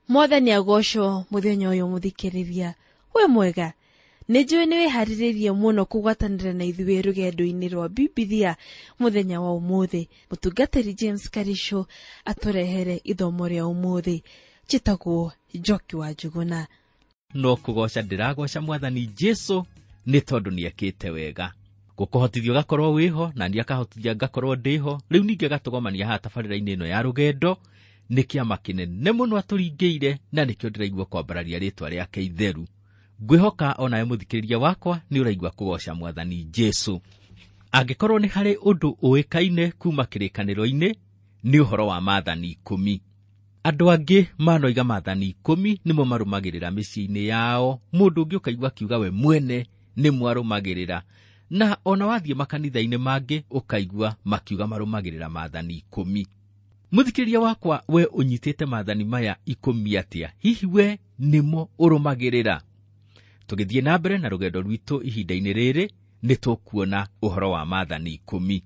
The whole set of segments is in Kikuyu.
Mwathani agocwo muthenya uyu muthikiriria. We mwega, nĩ njũĩ nĩ wĩharĩrĩirie mũno kũgwatanĩra na ithuĩ rũgendo-inĩ rwa Bibilia mũthenya wa ũmũthĩ. Mũtungatĩri James Karisho atũrehere ithomo rĩa ũmũthĩ. Njĩtagwo Njoki wa Njuguna. No kũgoca ndĩragoca Mwathani Jesu nĩ tondũ nĩekĩte wega. Gũkũhotithia ũgakorwo wĩho na niĩ akahotithia ngakorwo ndĩho. Rĩu ningĩ agatũgomania haha tabarĩra-inĩ ĩno ya rũgendo. Nĩ kĩama kĩnene mũno atũringĩire na nĩkĩo ndĩraigua kwambararia rĩtwa rĩake itheru. Ngwĩhoka onawe mũthikĩrĩria wakwa nĩ ũraigua kũgoca Mwathani Jesu. Angĩkorwo nĩ harĩ ũndũ ũĩkaine kuma kĩrĩkanĩro-inĩ nĩ ũhoro wa maathani 10. Andũ angĩ manoiga maathani 10 nĩmo marũmagĩrĩra mĩciĩ-inĩ yao. Mũndũ ũngĩ ũkaigua akiuga we mwene nĩ mwarũmagĩrĩra. Na ona wathiĩ makanitha-inĩ mangĩ ũkaigua makiuga marũmagĩrĩra maathani 10. Mũthikĩrĩria wakwa, we ũnyitĩte maathani maya 10 atĩa? Hihi we nĩmo ũrũmagĩrĩra? Tũgĩthiĩ na mbere na rũgendo rwitũ ihinda-inĩ rĩrĩ nĩ tũkuona ũhoro wa maathani 10.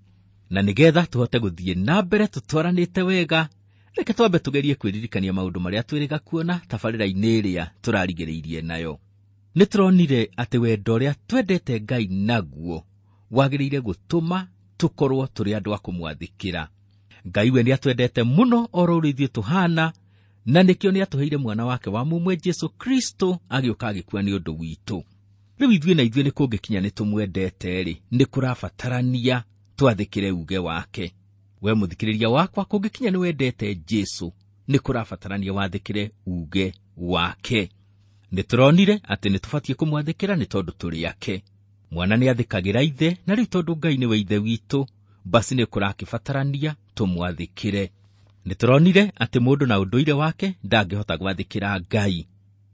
Na nĩgetha tũhote gũthiĩ na mbere tũtwaranĩte wega, reke twambe tũgerie kwĩririkania maũndũ marĩa twĩrĩga kuona tabarĩra-inĩ ĩrĩa tũrarigĩrĩirie nayo. Nĩ tũronire atĩ wendo ũrĩa twendete Ngai naguo wagĩrĩire gũtũma tũkorwo tũrĩ andũ a kũmwathĩkĩra. Ngai we nĩatwendete mũno oro ũrĩa ithuĩ tũhana, na nĩkĩo nĩatũheire mwana wake wa mũmwe Jesu Kristo agĩũka agĩkua nĩ ũndũ witũ. Rĩu ithuĩ na ithuĩ nĩ kũngĩkinya nĩ tũmwendete-rĩ, nĩ kũrabatarania twathĩkĩre uge wake. We mũthikĩrĩria wakwa, kũngĩkinya nĩ wendete Jesu, nĩ kũrabatarania wathĩkĩre uge wake. Nĩ tũronire atĩ nĩ tũbatiĩ kũmwathĩkĩra nĩ tondũ tũrĩ ake. Mwana nĩ athĩkagĩra ithe, na rĩu tondũ Ngai nĩwe ithe witũ, basi nĩ kũrakĩbatarania tũmwathĩkĩre. Nĩ tũronire atĩ mũndũ na ũndũire wake ndangĩhota gwathĩkĩra Ngai.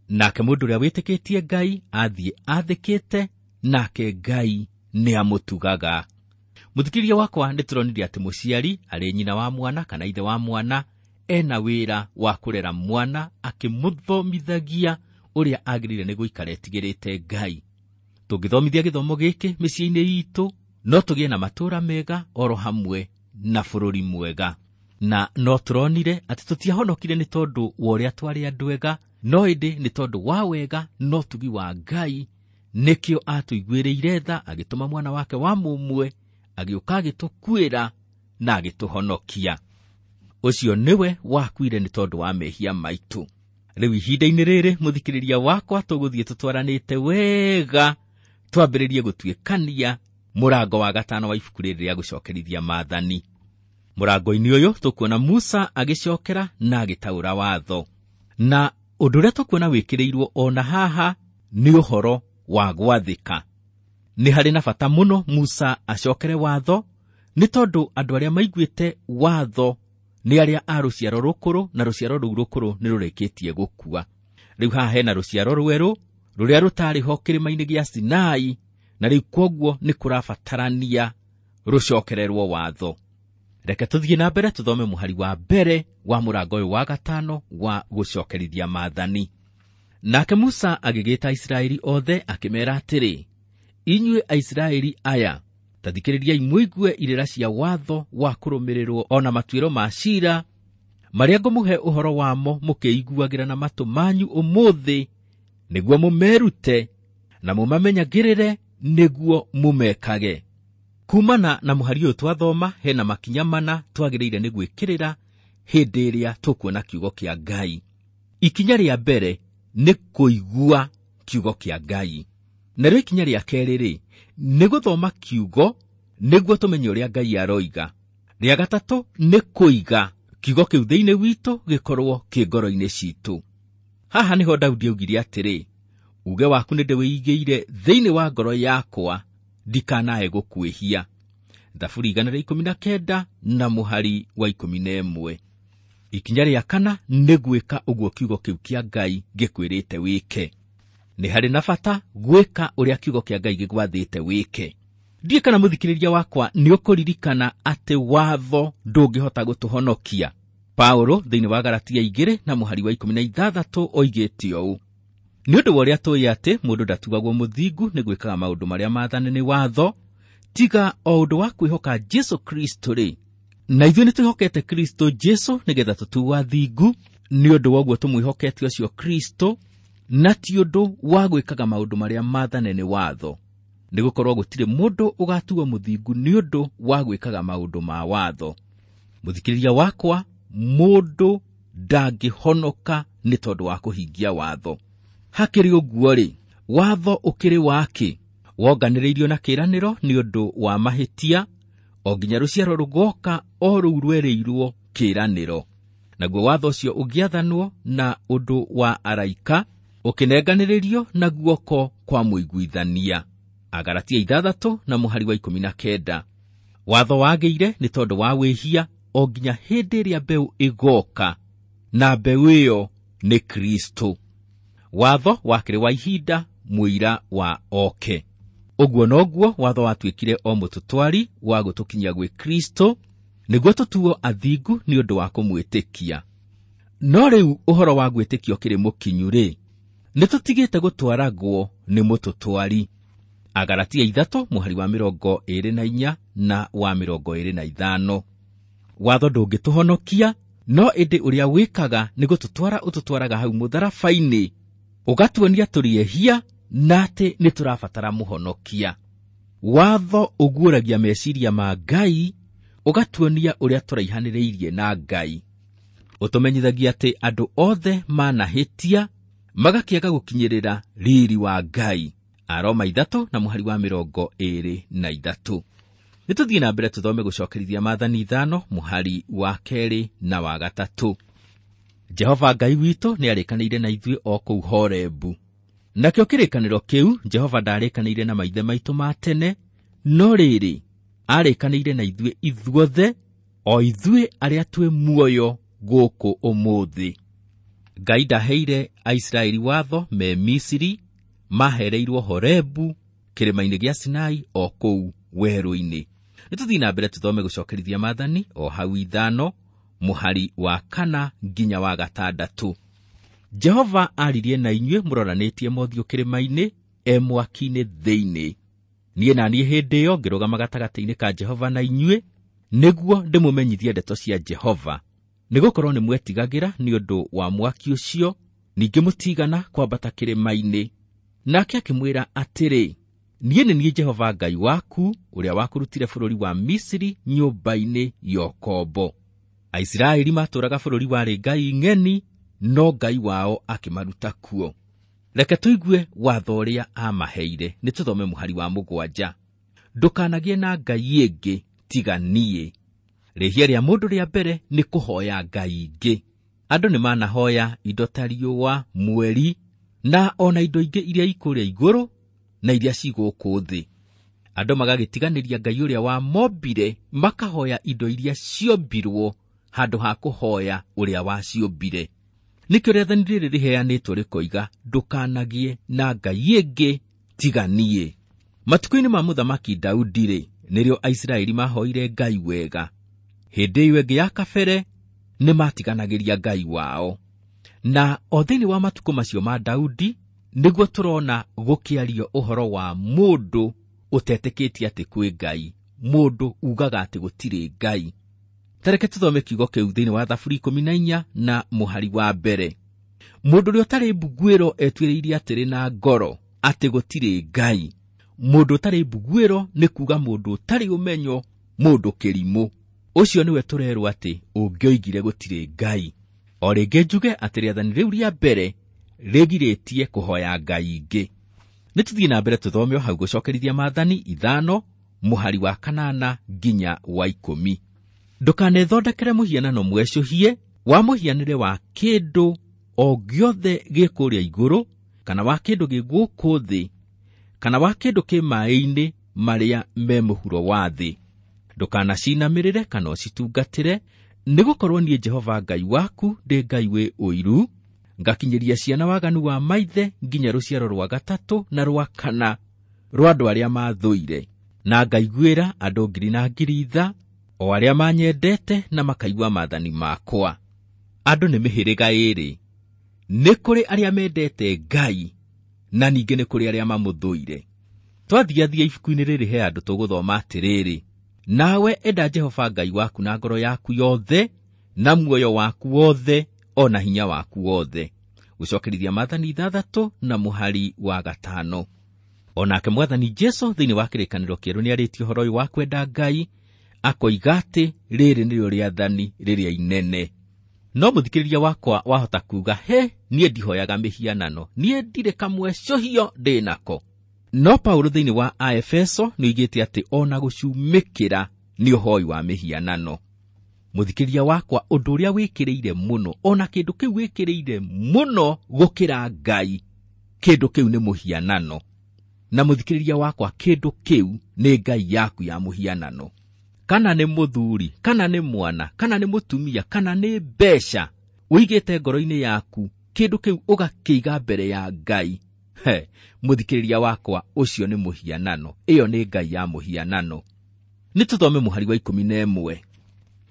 Nake mũndũ ũrĩa wĩtĩkĩtie Ngai athiĩ athĩkĩte, nake Ngai nĩ amũtugaga. Mũthikĩrĩria wakwa, nĩ tũronire atĩ mũciari arĩ nyina wa mwana kana ithe wa mwana ena wĩra wa kũrera mwana akĩmũthomithagia ũrĩa agĩrĩire nĩ gũikara etigĩrĩte Ngai. Tũngĩthomithia gĩthomo gĩkĩ mĩciĩ-inĩ itũ, no tũgĩe na matũũra mega oro hamwe na bũrũri mwega. Na no tũronire atĩ tũtiahonokire nĩ tondũ wa ũrĩa twarĩ andũ ega, no ĩndĩ nĩ tondũ wa wega na ũtugi wa Ngai, nĩkĩo atũiguĩrĩire tha agĩtũma mwana wake wa mũmwe agĩũka agĩtũkuĩra na agĩtũhonokia. Ũcio nĩwe wakuire nĩ tondũ wa mehia maitũ. Rĩu ihinda-inĩ rĩrĩ mũthikĩrĩria wakwa, tũgũthiĩ tũtwaranĩte wega twambĩrĩrie gũtuĩkania mũrango wa 5 wa ibuku rĩrĩ rĩa gũcokerithia maathani. Mũrango-inĩ ũyũ tũkuona Musa agĩcokera na agĩtaũra watho. Na ũndũ ũrĩa tũkuona wĩkĩrĩirwo ona haha nĩ ũhoro wa gwathĩka. Nĩ harĩ na bata mũno Musa acokere watho, nĩ tondũ andũ arĩa maiguĩte watho nĩ arĩa a rũciaro rũkũrũ, na rũciaro rũu rũkũrũ nĩ rũrĩkĩtie gũkua. Rĩu haha hena rũciaro rwerũ rũrĩa rũtarĩ ho kĩrĩma-inĩ gĩa Sinai, na rĩu kwoguo nĩ kũrabatarania rũcokererwo watho. Reke tũthiĩ na mbere tũthome mũhari wa mbere wa mũrango ũyũ wa 5 wa gũcokerithia maathani. Nake Musa agĩgĩta Aisiraeli othe akĩmeera atĩrĩ, inyuĩ Aisiraeli aya, ta thikĩrĩriai mũigue irĩra cia watho wa kũrũmĩrĩrwo ona matuĩro ma ciira marĩa ngũmũhe ũhoro wamo mũkĩiguagĩra na matũ manyu ũmũthĩ, nĩguo mũmerute na mũmamenyagĩrĩre nĩguo mũmekage. Kumana na mũhari ũyũ twathoma, hena makinya mana twagĩrĩire nĩ gwĩkĩrĩra hĩndĩ ĩrĩa tũkuona kiugo kĩa Ngai. Ikinya rĩa mbere nĩ kũigua kiugo kĩa Ngai. Narĩo ikinya rĩa kerĩ rĩ, nĩ gũthoma kiugo nĩguo tũmenye ũrĩa Ngai aroiga. Rĩa gatatũ nĩ kũiga kiugo kĩu thĩinĩ witũ gĩkorwo kĩ ngoro-inĩ citũ. Haha nĩho Daudi augire atĩrĩ, uge waku nĩ ndĩwĩigĩire thĩinĩ wa ngoro yakwa, ndikanae gũkwĩhia. Thaburi 119 na mũhari wa 11. Ikinya rĩa kana nĩ gwĩka ũguo kiugo kĩu kĩa Ngai gĩkwĩrĩte wĩke. Nĩ harĩ na bata gwĩka ũrĩa kiugo kĩa Ngai gĩgwathĩte wĩke. Ndiĩ kana mũthikĩrĩria wakwa nĩ ũkũririkana atĩ watho ndũngĩhota gũtũhonokia. Paulo thĩinĩ wa Galatia 2 na mũhari wa 16 oigĩte ũũ, nĩ ũndũ wa ũrĩa tũĩ atĩ mũndũ ndatuagwo mũthingu nĩ gwĩkaga maũndũ marĩa maathane nĩ watho, tiga o ũndũ wa kwĩhoka Jesu Kristo rĩ, Na ithuĩ nĩ twĩhokete Kristo Jesu nĩgetha tũtuo athingu Nĩ ũndũ wa ũguo tũmwĩhokete ũcio Kristo, na ti ũndũ wa gwĩkaga maũndũ marĩa maathane nĩ watho, nĩgũkorwo gũtirĩ mũndũ ũgatuo mũthingu nĩ ũndũ wa gwĩkaga maũndũ ma watho. Mũthikĩrĩria wakwa, mũndũ ndangĩhonoka nĩ tondũ wa kũhingia watho. Hakĩrĩ ũguo-rĩ, watho ũkĩrĩ wakĩ? Wonganĩrĩirio na kĩĩranĩro nĩ ũndũ wa mahĩtia, o nginya rũciaro rũgoka o rũu rwerĩirwo kĩĩranĩro. Naguo watho ũcio ũgĩathanwo na ũndũ wa araika, ũkĩnenganĩrĩrio na guoko kwa mũiguithania. Agalatia 6 na mũhari wa 19. Watho wagĩire nĩ tondũ wa wĩhia o nginya hĩndĩ ĩrĩa mbeũ ĩgoka, na mbeũ ĩyo nĩ Kristo. Watho wakĩrĩ wa ihinda, mũira wa oke. Ũguo noguo watho watuĩkire o mũtũtwari wa gũtũkinyia gwĩ Kristo, nĩguo tũtuo athingu nĩ ũndũ wa kũmwĩtĩkia. No rĩu ũhoro wa gwĩtĩkia ũkĩrĩ mũkinyu-rĩ, nĩtũtigĩte gũtwaragwo nĩ mũtũtwari. Agalatia 3 mũhari wa 24 na wa 25. Watho ndũngĩtũhonokia, no ĩndĩ ũrĩa wĩkaga nĩ gũtũtwara ũtũtwaraga hau mũtharaba-inĩ, ũgatuonia tũrĩ ehia na atĩ nĩ tũrabatara mũhonokia. Watho ũguũragia meciria ma Ngai, ũgatuonia ũrĩa tũraihanĩrĩirie na Ngai. Ũtũmenyithagia atĩ andũ othe manahĩtia, magakĩaga gũkinyĩrĩra riri wa Ngai. Aroma 3 na mũhari wa 23. Nĩtũthiĩ na mbere tũthome gũcokerithia maathani 5 mũhari wa 2 na wa 3. Jehova Ngai witũ nĩarĩkanĩire na ithuĩ o kũu Horebu. Nakĩo kĩrĩkanĩro kĩu Jehova ndarĩkanĩire na maithe maitũ ma tene, no rĩrĩ, arĩkanĩire na ithuĩ ithuothe, o ithuĩ arĩa twĩ muoyo gũkũ ũmũthĩ. Ngai ndaheire Aisiraeli watho me Misiri, mahereirwo Horebu, kĩrĩma-inĩ gĩa Sinai o kũu werũ-inĩ. Nĩtũthiĩ na mbere tũthome gũcokerithia maathani o hau 5 mũhari wa 4 nginya wa 6. Jehova aririe na inyuĩ mũroranĩtie mothiũ kĩrĩma-inĩ, e mwaki-inĩ thĩinĩ. Niĩ na niĩ hĩndĩ ĩyo ngĩrũgama gatagatĩ-inĩ ka Jehova na inyuĩ, nĩguo ndĩmũmenyithie ndeto cia Jehova. Nĩgũkorwo nĩmwetigagĩra nĩ ũndũ wa mwaki ũcio, ningĩ mũtigana kwambata kĩrĩma-inĩ. Nake akĩmwĩra atĩrĩ, niĩ nĩ niĩ Jehova Ngai waku, ũrĩa wakũrutire bũrũri wa Misiri nyũmba-inĩ ya ũkombo. Aisiraeli matũũraga bũrũri warĩ ngai ng'eni, no Ngai wao akĩmaruta kuo. Reke tũigue watho ũrĩa aamaheire. Nĩtũthome mũhari wa 7. Ndũkanagĩe na ngai ĩngĩ tiga niĩ. Rĩhia rĩa mũndũ rĩa mbere nĩ kũhoya ngai ingĩ. Andũ nĩmanahoya indo ta riũa, mweri, na ona indo ingĩ iria ikũrĩa igũrũ na iria ci gũkũ thĩ. Andũ magagĩtiganĩria Ngai ũrĩa wamombire, makahoya indo iria ciombirwo handũ ha kũhoya ũrĩa waciũmbire. Nĩkĩo rĩathani rĩrĩ rĩheanĩtwo rĩkoiga, ndũkanagĩe na ngai ĩngĩ tiga niĩ. Matukũ-inĩ ma mũthamaki Daudi-rĩ, nĩrĩo Aisiraeli mahoire Ngai wega. Hĩndĩ ĩyo ĩngĩ ya kabere nĩmatiganagĩria Ngai wao. Na o thĩinĩ wa matukũ macio ma Daudi, nĩguo tũrona gũkĩario ũhoro wa mũndũ ũtetĩkĩtie atĩ kwĩ Ngai, mũndũ ugaga atĩ gũtirĩ Ngai. Tareke tũthome kiugo kĩu thĩinĩ wa Thaburi 14 na mũhari wa 1. Mũndũ ũrĩa ũtarĩ mbuguĩro etuĩrĩirie atĩrĩ na ngoro atĩ gũtirĩ Ngai. Mũndũ ũtarĩ mbuguĩro nĩ kuuga mũndũ ũtarĩ ũmenyo, mũndũ kĩrimũ. Ũcio nĩwe tũrerwo atĩ ũngĩoigire gũtirĩ Ngai. O rĩngĩ njuge atĩ rĩathani rĩu rĩa mbere rĩgirĩtie kũhoya ngai ingĩ. Nĩtũthiĩ na mbere tũthome o hau gũcokerithia maathani 5 mũhari wa 8 nginya wa 10. Ndũkanethondekere mũhianano mwecũhie wa mũhianĩre wa kĩndũ o gĩothe gĩ kũrĩa igũrũ, kana wa kĩndũ gĩ gũkũ thĩ, kana wa kĩndũ kĩ maĩ-inĩ marĩa me mũhuro wa thĩ. Ndũkanacinamĩrĩre kana ũcitungatĩre, nĩgũkorwo niĩ Jehova Ngai waku ndĩ Ngai wĩ ũiru, ngakinyĩria ciana waganu wa maithe nginya rũciaro rwa 3 na rwa 4 rwa andũ arĩa maathũire, na ngaiguĩra andũ ngiri na ngiri tha, o arĩa manyendete na makaigua maathani makwa. Andũ nĩ mĩhĩrĩga ĩĩrĩ, nĩ kũrĩ arĩa mendete Ngai na ningĩ nĩ kũrĩ arĩa mamũthũire. Twathiathia ibuku-inĩ rĩrĩ he andũ tũgũthoma atĩrĩrĩ, nawe enda Jehova Ngai waku na ngoro yaku yothe na muoyo waku wothe o na hinya waku wothe. Gũcokerithia maathani 6 na mũhari wa 5. Onake Mwathani Jesu thĩinĩ wa kĩrĩkanĩro kĩerũ nĩarĩtie ũhoro ũyũ wa kwenda Ngai, akoiga atĩ rĩrĩ nĩrĩo rĩathani rĩrĩa inene. No mũthikĩrĩria wakwa wahota kuuga, he, niĩ ndihoyaga mĩhianano, niĩ ndirĩ kamwecũhio ndĩ nako. No Paulo thĩinĩ wa Aefeso nĩoigĩte atĩ ona gũcumĩkĩra nĩ ũhoi wa mĩhianano. Mũthikĩrĩria wakwa, ũndũ ũrĩa wĩkĩrĩire mũno, ona kĩndũ kĩu wĩkĩrĩire mũno gũkĩra Ngai, kĩndũ kĩu nĩ mũhianano. Na mũthikĩrĩria wakwa, kĩndũ kĩu nĩ Ngai yaku ya mũhianano. Kana nĩ mũthuri, kana nĩ mwana, kana nĩ mũtumia, kana nĩ mbeca, ũigĩte ngoro-inĩ yaku kĩndũ kĩu ũgakĩiga mbere ya Ngai. He, mũthikĩrĩria wakwa, ũcio nĩ mũhianano. Ĩyo nĩ Ngai ya mũhianano. Nĩ tũthome mũhari wa 11.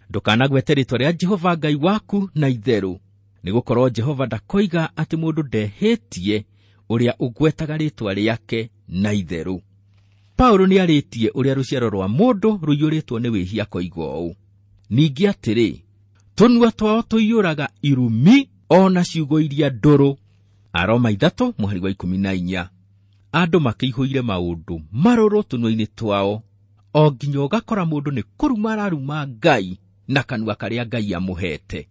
Ndũkanagwete rĩĩtwa rĩa Jehova Ngai waku na itherũ, nĩgũkorwo Jehova ndakoiga atĩ mũndũ ndehĩtie ũrĩa ũgwetaga rĩĩtwa rĩake na itherũ. Paulo nĩarĩtie ũrĩa rũciaro rwa mũndũ rũiyũrĩtwo nĩ wĩhia akoiga ũũ, ningĩ atĩrĩ, tũnua twao tũiyũraga irumi o na ciugo iria ndũrũ. Aroma 3 mũhari wa 14. Andũ makĩihũire maũndũ marũrũ tũnua-inĩ twao, o nginya ũgakora mũndũ nĩ kũruma araruma Ngai na kanua karĩa Ngai amũhete.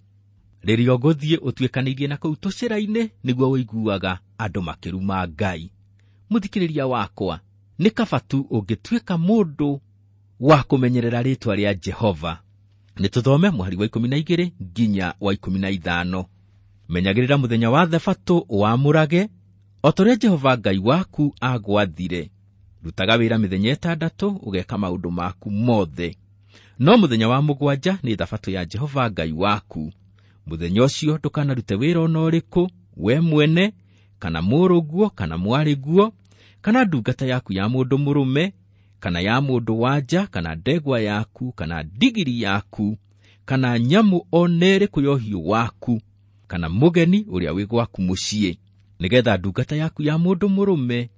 Rĩrĩa ũgũthiĩ ũtuĩkanĩirie na kũu tũcĩra-inĩ, nĩguo ũiguaga andũ makĩruma Ngai. Mũthikĩrĩria wakwa, nĩ kaba tu ũngĩtuĩka mũndũ wa kũmenyerera rĩĩtwa rĩa Jehova. Nĩ tũthome mũhari wa 12 nginya wa 15. Menyagĩrĩra mũthenya wa Thabatũ ũwamũrage, o ta ũrĩa Jehova Ngai waku agwathire. Rutaga wĩra mĩthenya 6 ũgeka maũndũ maku mothe. No mũthenya wa 7 nĩ Thabatũ ya Jehova Ngai waku. Mũthenya ũcio ndũkanarute wĩra ona ũrĩkũ, we mwene, kana mũrũguo, kana mwarĩguo, kana ndungata yaku ya mũndũ mũrũme, kana ya mũndũ wa nja, kana ndegwa yaku, kana ndigiri yaku, kana nyamũ o na ĩrĩkũ ya ũhiũ waku, kana mũgeni ũrĩa wĩ gwaku mũciĩ, nĩgetha ndungata yaku ya mũndũ mũrũme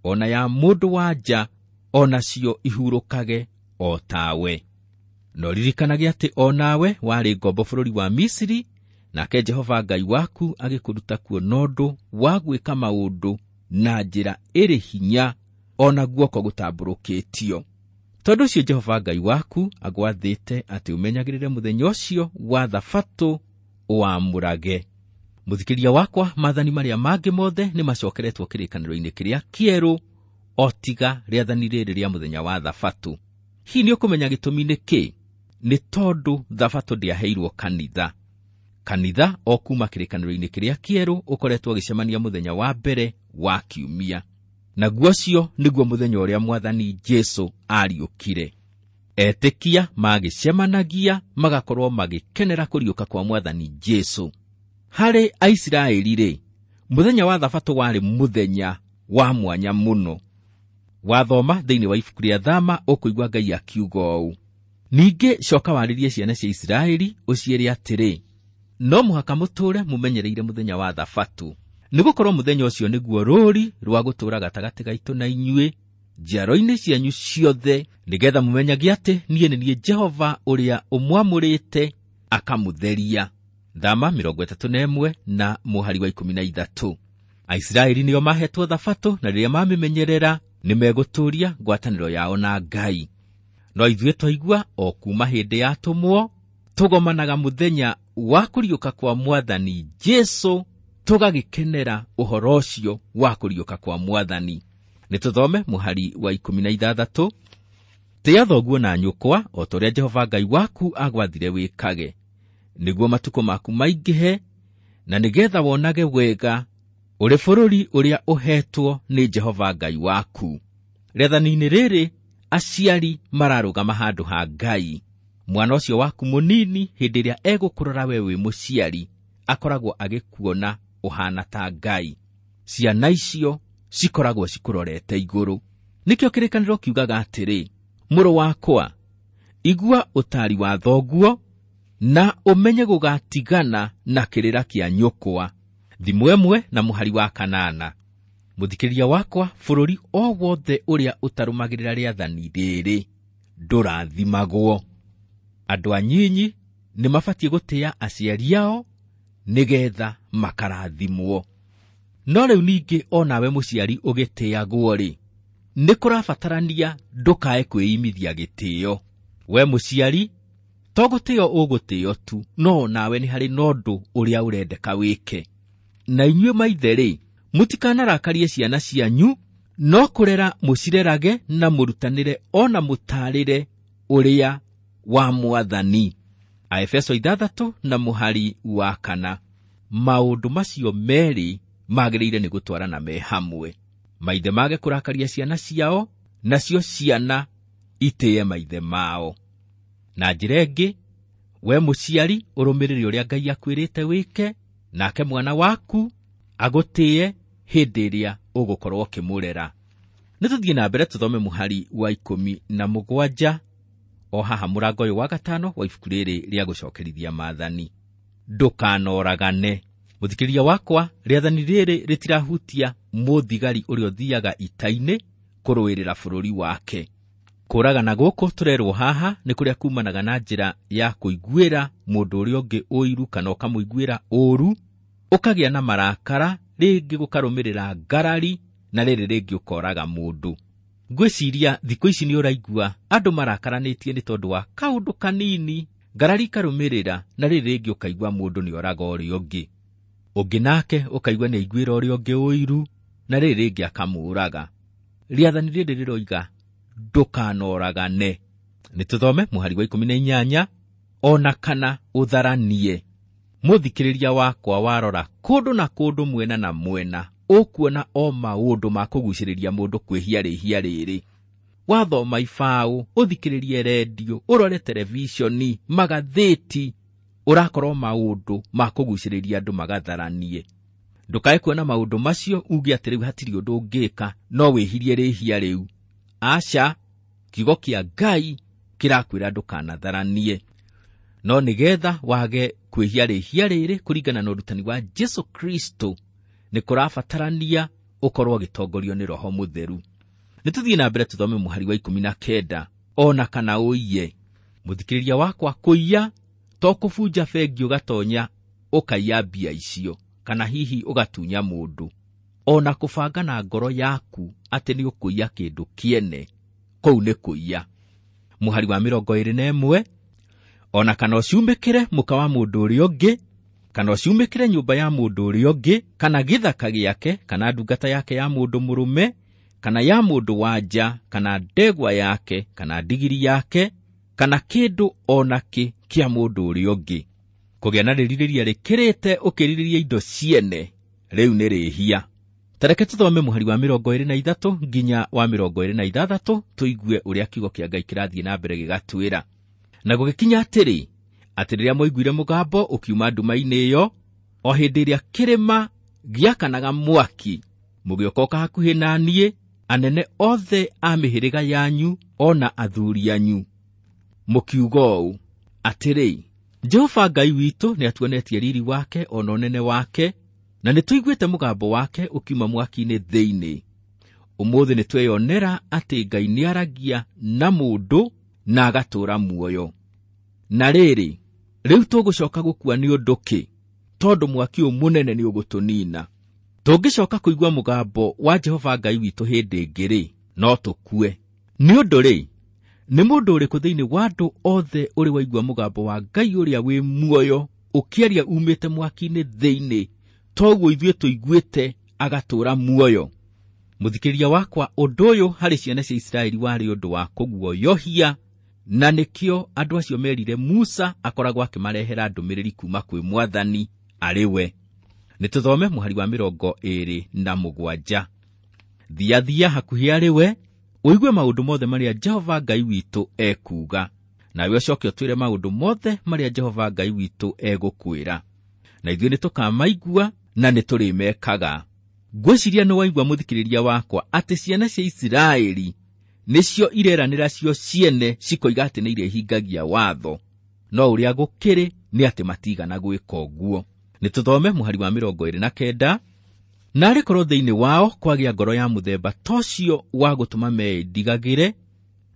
ona ya mũndũ wa nja o nacio ihurũkage o tawe. No ririkanage atĩ o nawe warĩ ngombo bũrũri wa Misiri, nake Jehova Ngai waku agĩkũruta kuo na ũndũ wa gwĩka maũndũ na njĩra ĩrĩ hinya o na guoko gũtambũrũkĩtio. Tondũ ũcio Jehova Ngai waku agwathĩte atĩ ũmenyagĩrĩre mũthenya ũcio wa Thabatũ ũwamũrage. Mũthikĩria wakwa, maathani marĩa mangĩ mothe nĩ macokeretwo kĩrĩkanĩro-inĩ kĩrĩa kĩerũ, o tiga rĩathani rĩrĩ rĩa mũthenya wa Thabatũ. Hihi nĩ ũkũmenya gĩtũmi nĩ kĩ? Nĩ tondũ Thabatũ ndĩaheirwo kanitha. Kanitha o kuma kĩrĩkanĩro-inĩ kĩrĩa kĩerũ ũkoretwo ũgĩcemania mũthenya wa mbere wa kiumia. Naguo ũcio nĩguo mũthenya ũrĩa Mwathani Jesu ariũkire. Etĩkia magĩcemanagia magakorwo magĩkenera kũriũka kwa Mwathani Jesu. Harĩ Aisiraeli-rĩ, mũthenya wa Thabatũ warĩ mũthenya wa mwanya mũno. Wathoma thĩinĩ wa ibuku rĩa Thama ũkũigua Ngai akiuga ũũ, ningĩ coka warĩrie ciana cia Isiraeli ũciĩre atĩrĩ, no mũhaka mũtũũre mũmenyereire mũthenya wa Thabatũ, nĩgũkorwo mũthenya ũcio nĩguo rũũri rwa gũtũũra gatagatĩ gaitũ na inyuĩ njiaro-inĩ cianyu ciothe, nĩgetha mũmenyage atĩ niĩ nĩ niĩ Jehova ũrĩa ũmwamũrĩte akamũtheria. Thama 31 na mũhari wa 13. Aisiraeli nĩo mahetwo Thabatũ, na rĩrĩa mamĩmenyerera nĩmegũtũũria ngwatanĩro yao na Ngai. No ithuĩ twaigua o kuma hĩndĩ ya atũmwo tũgomanaga mũthenya wa kũriũka kwa Mwathani Jesu, tũgagĩkenera ũhoro ũcio wa kũriũka kwa Mwathani. Nĩ tũthome mũhari wa 16. Tĩa thoguo na nyũkwa o ta ũrĩa Jehova Ngai waku agwathire wĩkage, nĩguo matukũ maku maingĩhe, na nĩgetha wonage wega ũrĩ bũrũri ũrĩa ũhetwo nĩ Jehova Ngai waku. Rĩathani-inĩ rĩrĩ aciari mararũgama handũ ha Ngai. Mwana ũcio waku mũnini hĩndĩ ĩrĩa egũkũrora we wĩ mũciari akoragwo agĩkuona ũhana ta Ngai. Ciana icio cikoragwo cikũrorete igũrũ. Nĩkĩo kĩrĩkanĩro kiugaga atĩrĩ, mũrũ wakwa, igua ũtaari wa thoguo na ũmenye gũgatigana na kĩrĩra kĩa nyũkwa. Thimo 1 na mũhari wa 8. Mũthikĩrĩria wakwa, bũrũri o wothe ũrĩa ũtarũmagĩrĩra rĩathani rĩrĩ ndũrathimagwo. Andũ anyinyi nĩ mabatiĩ gũtĩa aciari ao nĩgetha makarathimwo. No rĩu ningĩ onawe mũciari ũgĩtĩagwo rĩ, nĩ kũrabatarania ndũkae kwĩimithia gĩtĩo. We mũciari to gũtĩo ũgũtĩo tu, no nawe nĩ harĩ na ũndũ ũrĩa ũrendeka wĩke. Na inyuĩ maithe rĩ, mũtikanarakarie ciana cianyu, no kũrera mũcirerage na mũrutanĩre ona mũtaarĩre ũrĩa wa Mwathani. Aefeso 6 na mũhari wa 4. Maũndũ macio merĩ magĩrĩire nĩ gũtwarana me hamwe. Maithe mage kũrakaria ciana ciao, nacio ciana itĩe maithe mao. Na njĩra ĩngĩ, we mũciari ũrũmĩrĩre ũrĩa Ngai akwĩrĩte wĩke, nake mwana waku agũtĩe hĩndĩ ĩrĩa ũgũkorwo ũkĩmũrera. Nĩ tũthiĩ na mbere tũthome mũhari wa 17 o haha mũrango ũyũ wa 5 wa ibuku rĩrĩ rĩa gũcokerithia maathani. Ndũkanoragane. Mũthikĩrĩria wakwa, rĩathani rĩrĩ rĩtirahutia mũthigari ũrĩa ũthiaga ita-inĩ kũrũĩrĩra bũrũri wake. Kũragana gũkũ tũrerwo haha nĩ kũrĩa kumanaga na njĩra ya kũiguĩra mũndũ ũrĩa ũngĩ ũiru kana ũkamũiguĩra ũũru, ũkagĩa na marakara, rĩngĩ gũkarũmĩrĩra ngarari, na rĩrĩ rĩngĩ ũkoraga mũndũ. Ngwĩciria thikũ ici nĩ ũraigua andũ marakaranĩtie nĩ tondũ wa kaũndũ kanini, ngarari ikarũmĩrĩra, na rĩrĩ rĩngĩ ũkaigua mũndũ nĩ oraga ũrĩa ũngĩ. Ũngĩ nake ũkaigua nĩ aiguĩra ũrĩa ũngĩ ũiru, na rĩrĩ rĩngĩ akamũũraga. Rĩathani rĩrĩ rĩroiga ndũkanoragane. Nĩ tũthome mũhari wa 18, ona kana ũtharanie. Mũthikĩrĩria wakwa warora kũndũ na kũndũ, mwena na mwena, ũkuona o maũndũ ma kũgucĩrĩria mũndũ kwĩhia rĩhia rĩrĩ. Wathoma ibaũ, ũthikĩrĩrie rendio, ũrore televishoni, magathĩti, ũrakorwo maũndũ ma kũgucĩrĩria andũ magatharanie. Ndũkae kuona maũndũ macio uge atĩ rĩu hatirĩ ũndũ ũngĩka, no wĩhirie rĩhia rĩu. Aca, kiugo kĩa Ngai kĩrakwĩra ndũkanatharanie. No nĩgetha wage kwĩhia rĩhia rĩrĩ kũringana na ũrutani wa Jesu Kristo, nĩ kũrabatarania ũkorwo ũgĩtongorio nĩ Roho Mũtheru. Nĩ tũthiĩ na mbere tũthome mũhari wa 19, ona kana ũiye. Mũthikĩrĩria wakwa, kũiya to kũbunja bengi ũgatonya ũkaiya mbia icio, kana hihi ũgatunya mũndũ. Ona kũbanga na ngoro yaku atĩ nĩ ũkũiya kĩndũ kĩene, kũu nĩ kũiya. Mũhari wa 21, ona kana ũcumĩkĩre mũka wa mũndũ ũrĩa ũngĩ, kana ũcumĩkĩre nyũmba ya mũndũ ũrĩa ũngĩ, kana gĩthaka gĩake, kana ndungata yake ya mũndũ mũrũme, kana ya mũndũ wa nja, kana ndegwa yake, kana ndigiri yake, kana kĩndũ ona kĩ kĩa mũndũ ũrĩa ũngĩ. Kũgĩa na rĩrirĩria rĩkĩrĩte ũkĩrirĩria indo ciene, rĩu nĩ rĩhia. Tareke tũthome mũhari wa 23 nginya wa 26 tũigue ũrĩa kiugo kĩa Ngai kĩrathiĩ na mbere gĩgatwĩra. Na gũgĩkinya atĩrĩ, atĩ rĩrĩa mwaiguire mũgambo ũkiuma nduma-inĩ ĩyo, o hĩndĩ ĩrĩa kĩrĩma gĩakanaga mwaki, mũgĩũka hakuhĩ na niĩ, anene othe a mĩhĩrĩga yanyu ona athuri anyu, mũkiuga ũũ atĩrĩ, Jehova Ngai witũ nĩatuonetie riri wake ona ũnene wake, na nĩtũiguĩte mũgambo wake ũkiuma mwaki-inĩ thĩinĩ. Ũmũthĩ nĩtweyonera atĩ Ngai nĩaragia na mũndũ na agatũũra muoyo. Na rĩrĩ, rĩu tũgũcoka gũkua nĩ ũndũ kĩ? Tondũ mwaki ũyũ mũnene nĩ ũgũtũnina. Tũngĩcoka kũigua mũgambo wa Jehova Ngai witũ hĩndĩ ĩngĩ rĩ, no tũkue. Nĩ ũndũ rĩ, nĩ mũndũ ũrĩkũ thĩinĩ wa andũ othe ũrĩ waigua mũgambo wa Ngai ũrĩa wĩ muoyo ũkĩaria umĩte mwaki-inĩ thĩinĩ, toguo ithuĩ tũiguĩte agatũũra muoyo? Mũthikĩrĩria wakwa, ũndũ ũyũ harĩ ciana cia Isiraeli warĩ ũndũ wa kũguoyohia, na nĩkĩo andũ acio merire Musa akoragwo akĩmarehera ndũmĩrĩri kuma kwĩ Mwathani arĩ we. Nĩ tũthome mũhari wa 27. Thiathia hakuhĩ arĩ we, ũigue maũndũ mothe marĩa Jehova Ngai witũ ekuuga, nawe ũcoke ũtwĩre maũndũ mothe marĩa Jehova Ngai witũ egũkwĩra, na ithuĩ nĩtũkamaigua na nĩtũrĩmekaga. Ngwĩciria nĩ waigua mũthikĩrĩria wakwa atĩ ciana cia Isiraeli nĩcio ireranĩra cio ciene cikoiga atĩ nĩ irĩhingagia watho, no ũrĩa gũkĩrĩ nĩ atĩ matigana gwĩka ũguo. Nĩ tũthome mũhari wa 29. Narĩ korwo thĩinĩ wao kwagĩa ngoro ya mũthemba ta ũcio wa gũtũma meĩndigagĩre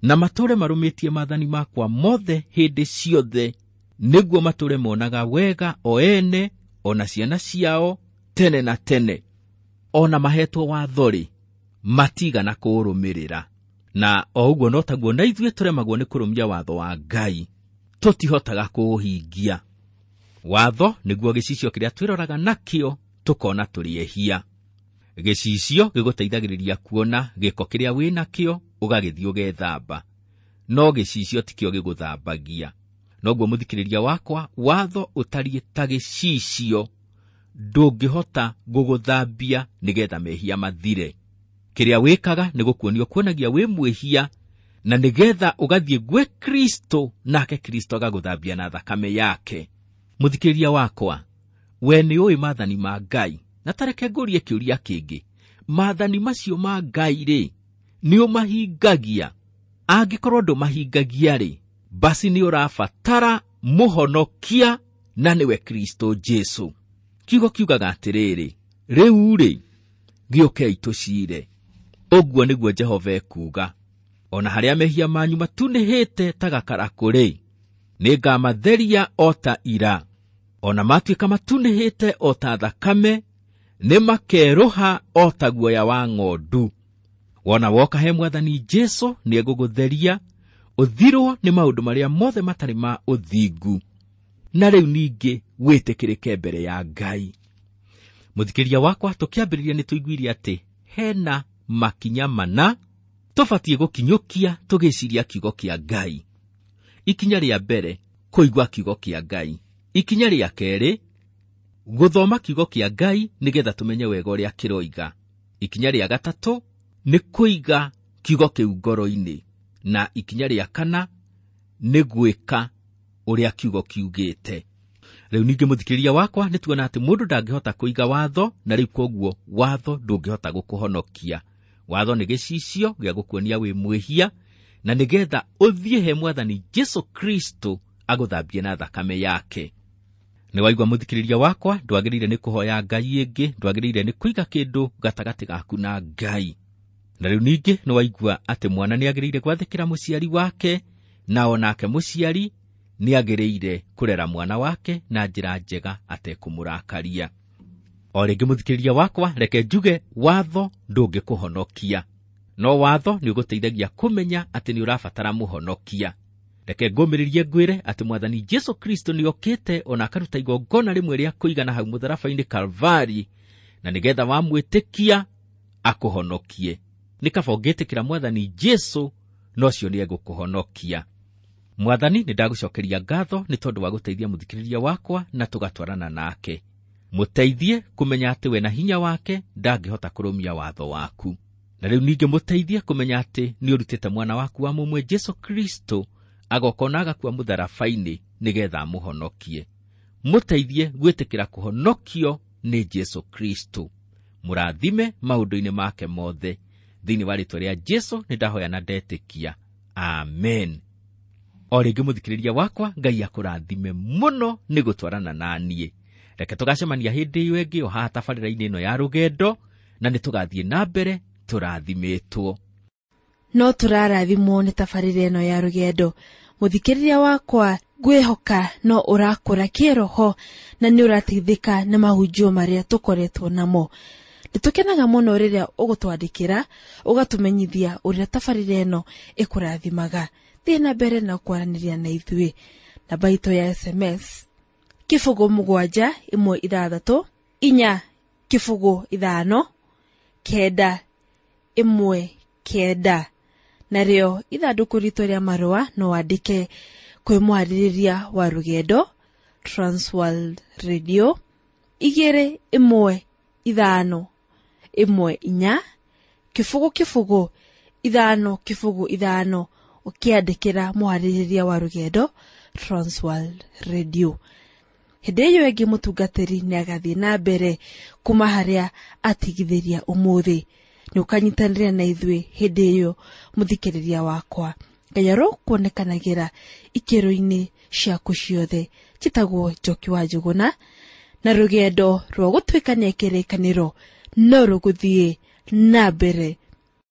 na matũũre marũmĩtie maathani makwa mothe hĩndĩ ciothe, nĩguo matũũre monaga wega o ene o na ciana ciao tene na tene. O na mahetwo watho-rĩ, matigana kũũrũmĩrĩra. Na o ũguo no taguo na ithuĩ tũremagwo nĩ kũrũmia watho wa Ngai, tũtihotaga kũũhingia. Watho nĩguo gĩcicio kĩrĩa twĩroraga nakĩo tũkona tũrĩ ehia. Gĩcicio gĩgũteithagĩrĩria kuona gĩko kĩrĩa wĩ nakĩo ũgagĩthiĩ ũgethamba, no gĩcicio tikĩo gĩgũthambagia. Noguo mũthikĩrĩria wakwa, watho ũtariĩ ta gĩcicio, ndũngĩhota gũgũthambia nĩgetha mehia mathire. Kĩrĩa wĩkaga nĩ gũkuonio kuonagia wĩ mwĩhia, na nĩgetha ũgathiĩ gwĩ Kristo, nake Kristo agagũthambia na thakame yake. Mũthikĩrĩria wakwa, we nĩ ũĩ maathani ma Ngai, na tareke ngũrie kĩũria kĩngĩ. Maathani macio ma Ngai rĩ, nĩ ũmahingagia? Angĩkorwo ndũmahingagia rĩ, basi nĩ ũrabatara mũhonokia, na nĩwe Kristo Jesu. Kiugo kiugaga atĩrĩrĩ, rĩu rĩ, gĩũkei tũciire. Ũguo nĩguo Jehova ekuuga. O na harĩa mehia manyu matunĩhĩte ta gakarakũ rĩ, nĩngamatheria o ta ira. O na matuĩka matunĩhĩte o ta thakame, nĩmakerũha o ta guoya wa ng'ondu. Wona woka he Mwathani Jesu, nĩegũgũtheria, ũthirwo nĩ maũndũ marĩa mothe matarĩ ma ũthingu, na rĩu ningĩ wĩtĩkĩrĩke mbere ya Ngai. Mũthikĩria wakwa, tũkĩambĩrĩria nĩ tũiguire atĩ hena makinya mana tũbatiĩ gũkinyũkia tũgĩciria kiugo kĩa Ngai. Ikinya rĩa mbere, kũigua kiugo kĩa Ngai. Ikinya rĩa kerĩ, gũthoma kiugo kĩa Ngai nĩgetha tũmenye wega ũrĩa kĩroiga. Ikinya rĩa gatatũ nĩ kũiga kiugo kĩu ngoro-inĩ, na ikinya rĩa kana nĩ gwĩka ũrĩa kiugo kiugĩte. Rĩu ningĩ mũthikĩrĩria wakwa, nĩ tuona atĩ mũndũ ndangĩhota kũiga watho, na rĩu koguo watho ndũngĩhota gũkũhonokia. Watho nĩ gĩcicio gĩa gũkuonia wĩ mwĩhia, na nĩgetha ũthiĩ he Mwathani Jesu Kristo agũthambie na thakame yake. Nĩ waigua mũthikĩrĩria wakwa, ndwagĩrĩire nĩ kũhoya Ngai ĩngĩ, ndwagĩrĩire nĩ kũiga kĩndũ gatagatĩ gaku na Ngai. Na rĩu ningĩ nĩ waigua atĩ mwana nĩ agĩrĩire gwathĩkĩra mũciari wake, na o nake mũciari nĩ agĩrĩire kũrera mwana wake na njĩra njega atekũmũrakaria. O rĩngĩ mũthikĩrĩria wakwa, reke njuge watho ndũngĩkũhonokia, no watho nĩ ũgũteithagia kũmenya atĩ nĩ ũrabatara mũhonokia. Reke ngũmĩrĩrie ngwĩre atĩ Mwathani Jesu Kristo nĩ okĩte ona akaruta igongona rĩmwe rĩa kũigana hau mũtharaba-inĩ Kalvari, na nĩgetha wamwĩtĩkia akũhonokie. Nĩ kaba ũngĩtĩkĩra Mwathani Jesu, no ũcio nĩ egũkũhonokia. Mwathani, nĩ ndagũcokeria ngatho nĩ tondũ wa gũteithia mũthikĩrĩria wakwa na tũgatwarana nake. Mũteithie kũmenya atĩ we na hinya wake ndangĩhota kũrũmia watho waku. Na rĩu ningĩ mũteithie kũmenya atĩ nĩ ũrutĩte mwana waku wa mũmwe Jesu Kristo agoka ona agakua mũtharaba-inĩ nĩgetha amũhonokie. Mũteithie gwĩtĩkĩra kũhonokio nĩ Jesu Kristo. Mũrathime maũndũ-inĩ make mothe. Thĩinĩ wa rĩĩtwa rĩa Jesu nĩ ndahoya na ndetĩkia. Amen. O rĩngĩ mũthikĩrĩria wakwa, Ngai akũrathime mũno nĩ gũtwarana na niĩ. Reke tũgacemania hĩndĩ ĩyo ĩngĩ o haha tabarĩra-inĩ ĩno ya rũgendo, na nĩ tũgathiĩ na mbere tũrathimĩtwo. No tũrarathimwo nĩ tabarĩra ĩno ya rũgendo. Mũthikĩrĩria wakwa, ngwĩhoka no ũrakũra kĩroho na nĩ ũrateithĩka nĩ mahunjio marĩa tũkoretwo namo. Nĩtũkenaga mũno rĩrĩa ũgũtwandĩkĩra, ũgatũmenyithia ũrĩa tabarĩra ĩno ĩkũrathimaga. Thiĩ na mbere na kwaranĩria na ithuĩ. Namba itũ ya SMS 0 7 1 6 4 0 5 9 1 9. Narĩo ithandũkũ ritũ rĩa marũa no wandĩke kwĩ mwarĩrĩria wa rũgendo Transworld Radio 2 1 5 1 4 0 0 5 0 5, ũkĩandĩkĩra mwarĩrĩria wa rũgendo Transworld Radio. Hĩndĩ ĩyo ĩngĩ mũtungatĩri nĩ agathiĩ na mbere kuma harĩa atigithĩria ũmũthĩ. Nĩ ũkanyitanĩra na ithuĩ hĩndĩ ĩyo mũthikĩrĩria wakwa. Ngai arokuonekanagĩra ikĩro-inĩ ciaku ciothe. Njĩtagwo Njoki wa Njũgũna, na rũgendo rwa gũtuĩkania kĩrĩkanĩro no rũgũthiĩ na mbere.